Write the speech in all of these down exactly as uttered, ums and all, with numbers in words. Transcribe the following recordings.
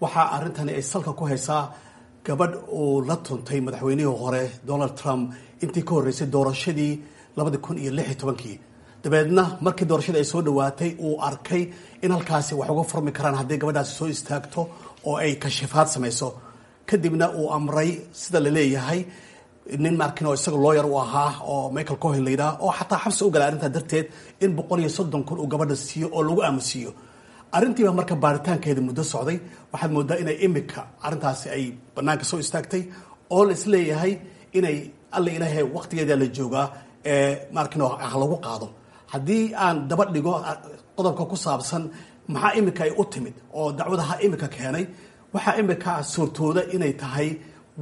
Waxaa arrintani ay salka ku haysaa gabadh uu la tuntay madaxweynihii hore Donald Trump intii ka horreysay doorashadii labadi kun iyo lix iyo tobankii. Dabeedna markii doorashadii ay soo dhawaatay, uu arkay in halkaasi wax uga furmi karaan haddii gabadhaasi soo istaagto oo ay kashifaad samayso. Kadibna uu amray, sida la leeyahay, nin markin oo isaga lawyer u ahaa oo Michael Cohen la yidhaha, oo xataa xabsi u galay arrintaa darteed, in boqol iyo soddon kun uu gabadha siiyo oo lagu aamusiiyo arrintiiba. Marka baaritaankeeda muddo socday, waxaad moodaa inay imika arrintaasi ay banaanka soo istaagtay oo la isleeyahay inay alla ilaahay waqtigeeda la joogaa ee markin ah lagu qaado. Haddii aan daba dhigo qodobka ku saabsan maxaa imika ay u timid oo dacwadaha imika keenay, waxaa imika suurtooda inay tahay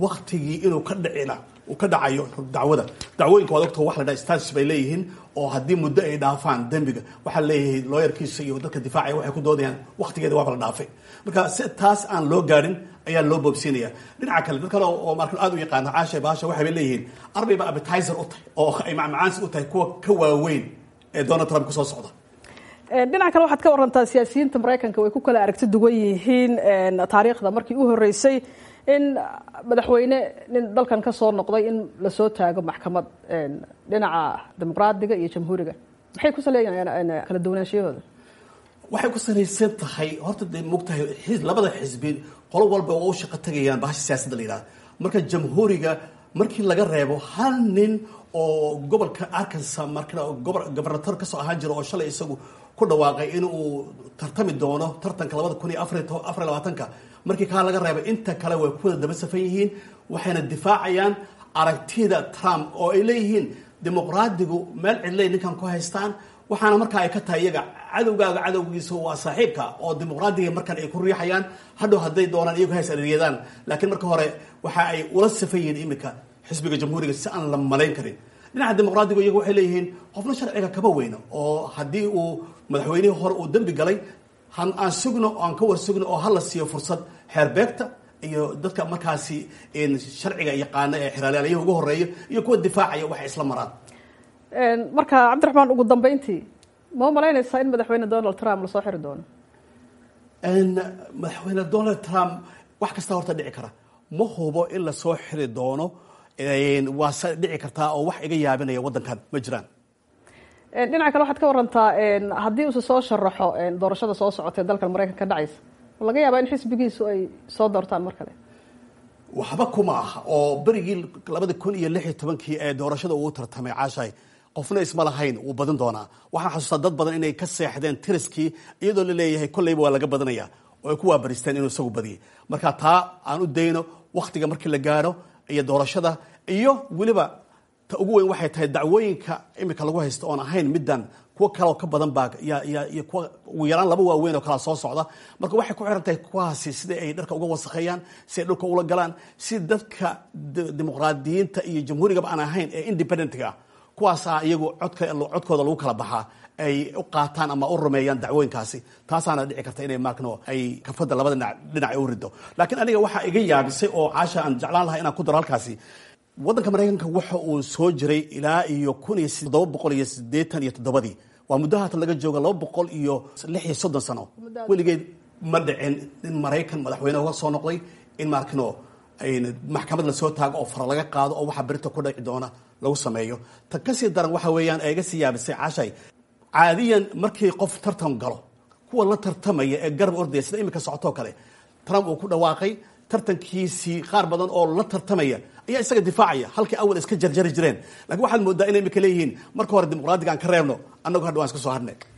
waktigii inuu ka dhicina uu ka dhacayo dacwada. Dacwooyinka waad ogta, wax la dhaha status bay leeyihiin, oo haddii muddo ay dhaafaan dembiga, waxaa leeyahay lawyerkiisa iyo dadka difaacaya waxay ku doodayaan waqtigeeda waaba la dhaafay. Marka si taas aan loo gaarin ayaa loo boobsiinaya. Dhinaca kale, dad kale oo markan aad u yaqaana, Caasha, baasha waxay bay leeyihiin arbay ba appetizer u tahay oo ay macmacaansi u tahay kuwa ka waaweyn ee Donald Trump kusoo socda. Dhinaca kale, waxaad ka warantaa siyaasiyiinta Maraykanka way ku kala aragti duwan yihiin. Taariikhda markii u horreysay in madaxweyne nin dalkan ka soo noqday in lasoo taago maxkamad, dhinaca Dimuqraadiga iyo Jamhuuriga maxay ku saleeyaan kala duwanaanshiyahooda? Waxay ku salaysan tahay horta, dee mogtahay, labada xisbi qolo walba oo u shaqo tagayaan bahasha siyaasadda la yidhahda. Marka Jamhuuriga markii laga reebo hal nin oo gobolka Arkansas marka gobernator kasoo ahaan jira oo shalay isagu ku dhawaaqay in uu tartami doono tartanka labada kun iyo afar iyo labaatanka, markii kaa laga reebay, inta kale way ku wada daba safan yihiin, waxayna difaacayaan aragtida Trump oo ay leeyihiin Dimuqraadigu meel cidlay ninkan ku haystaan. Waxaana markaa ay ka tahay iyaga cadowgaaga cadowgiisa waa saaxiibka, oo Dimuqraadiga markan ay ku riixayaan hadhow hadday doonaan iyagu hays adeegyadaan, laakiin marka hore waxa ay ula safan yihiin iminka xisbiga Jamhuuriga si aan la malayn karin. Dhinaca Dimuqraadigu iyagu waxay leeyihiin qofna sharciga kama weyno, oo haddii uu madaxweynihii hore uu dembi galay, han aan sugno, aan ka war sugno, oo hala siiyo fursad xeerbeegta iyo dadka markaasi sharciga yaqaana ee xeraalyaalayaha ugu horeeya iyo kuwa difaacaya waxay isla maraan. Marka Cabdiraxmaan, ugu dambeyntii, ma u malaynaysaa in madaxweyne Donald Trump lasoo xiri doono? Madaxweyne Donald Trump wax kasta horta dhici kara. Ma hubo in lasoo xiri doono, waase dhici kartaa, oo wax iga yaabinaya waddankan ma jiraan. Dhinaca kale, waxaad ka warantaa haddii uuse soo sharaxo doorashada soo socotee dalkan Maraykanka ka dhacaysa, ma laga yaabaa in xisbigiisu ay soo doortaan mar kale? Waxba kuma aha, oo berigii labada kun iyo lix iyo tobankii ee doorashada uu tartamay, Caashay, qofna isma lahayn wuu badin doonaa. Waxaan xasuustaa dad badan inay ka seexdeen tiriskii iyadoo la leeyahay kolleyba waa laga badanaya oo ay ku waabaristeen inuu isagu badiyay. Marka taa aan u dayno wakhtiga markii la gaaro iyo doorashada. Iyo weliba ta ugu weyn waxay tahay dacwooyinka imika lagu haysto oon ahayn middan, kuwo kaleoo ka badan baa iyo kuwa ugu yaraan laba waaweyn oo kalaa soo socda. Marka waxay ku xiran tahay kuwaasi sida ay dharka uga wasakheeyaan, si ay dhulka ula galaan, si dadka Dimuqraadiyiinta iyo Jamhuurigaba aan ahayn ee independentga ah, kuwaasaa iyagu codka codkooda lagu kala baxaa, ay u qaataan ama u rumeeyaan dacwooyinkaasi. Taasaana dhici karta inay maarkano ay kafadda labada dhinac dhinac ay u rido. Laakiin aniga waxaa iga yaabisay oo, Caasha, aan jeclaan lahaa inaan ku daro halkaasi, waddanka Maraykanka waxa uu soo jiray ilaa iyo kun iyo toddoba boqol iyo siddeetan iyo toddobadii, waa muddo haatan laga jooga laba boqol iyo lix iyo soddon sano. Weligeed ma dhicin in Maraykan madaxweyne uga soo noqday in maarkino maxkamad lasoo taago oo fara laga qaado oo waxa berita ku dhici doona lagu sameeyo. Ta kasii daran waxa weeyaan ee iga sii yaabisay, Caashay, caadiyan markii qof tartan galo, kuwa la tartamaya ee garab ordaya, sida imika socotoo kale, Trump uu ku dhawaaqay tartankiisii, qaar badan oo la tartamaya ayaa isaga difaacaya halkii awal iska jarjari jireen. Lakiin waxaad moodaa inay imika leeyihiin marka hore Dimuqraadiga aan ka reebno, annagu hadha waan iska soo hadhnay.